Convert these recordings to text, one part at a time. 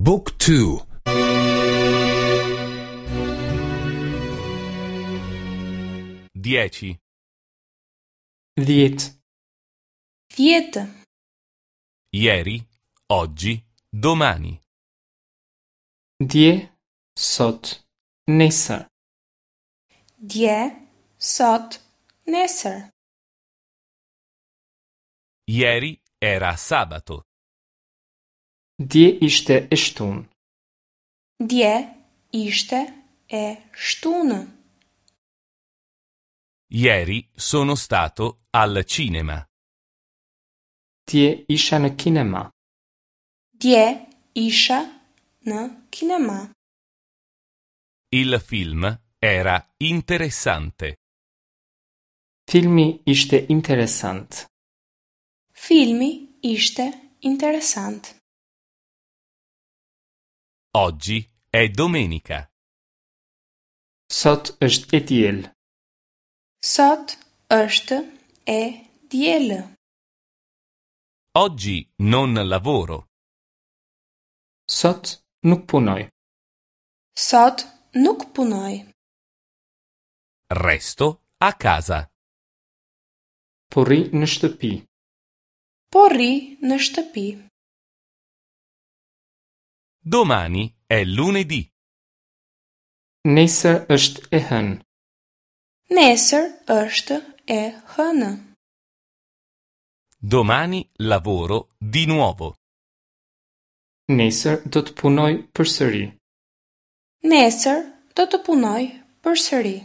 บุ๊กทู Dieci. Dhjetë. Dhjetë. Ieri, oggi, domani. Dje, sot, nesër. Dje, sot, nesër. Ieri era sabato. Dje ishte e shtunë. Dje ishte e shtunë. Ieri sono stato al cinema. Dje isha në kinema. Dje isha në kinema. Il film era interessante. Filmi ishte interesant. Filmi ishte interesant. Oggi è domenica. Sot është e diel. Sot është e diel. Oggi non lavoro. Sot nuk punoj. Sot nuk punoj. Resto a casa. Po rri në shtëpi. Po rri në shtëpi. Domani è lunedì. Nesër është e hënë. Nesër është e hënë. Domani lavoro di nuovo. Nesër do të punoj përsëri. Nesër do të punoj përsëri.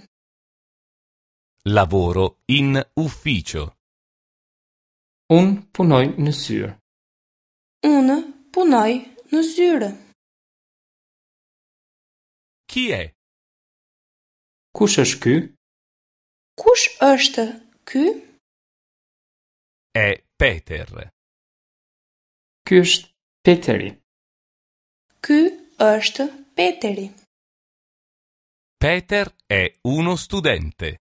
Lavoro in ufficio. Unë punoj në zyrë. Unë punoj në zyrë. Chi è? Kush është ky? Kush është ky? È Peter. Ky është Peteri. Ky është Peteri. Peter è uno studente.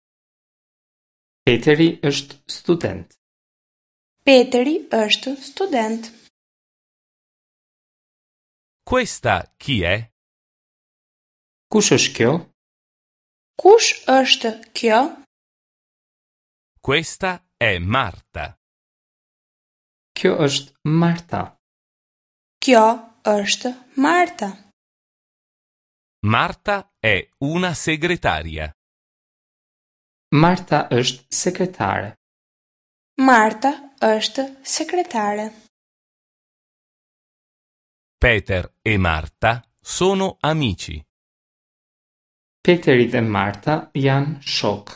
Peteri është student. Peteri është student. Questa chi è? Kush është kjo? Kush është kjo? Questa è Marta. Kjo është Marta. Kjo është Marta. Marta è una segretaria. Marta është sekretare. Marta është sekretare. Peter e Marta sono amici. Peteri dhe Marta janë shokë.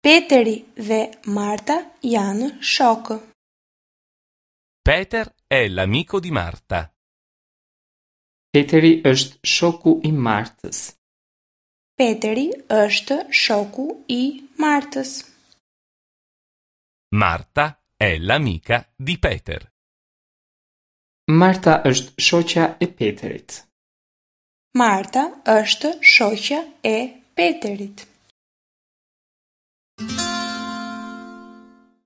Peteri dhe Marta janë shokë. Peter è l'amico di Marta. Peteri është shoku i Martës. Peteri është shoku i Martës. Marta è l'amica di Peter. Marta është shoqja e Peterit. Marta është shoqja e Peterit.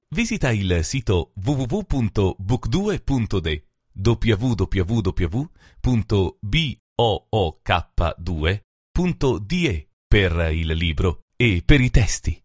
Visita il sito www.book2.de www.book2.de per il libro e per i testi.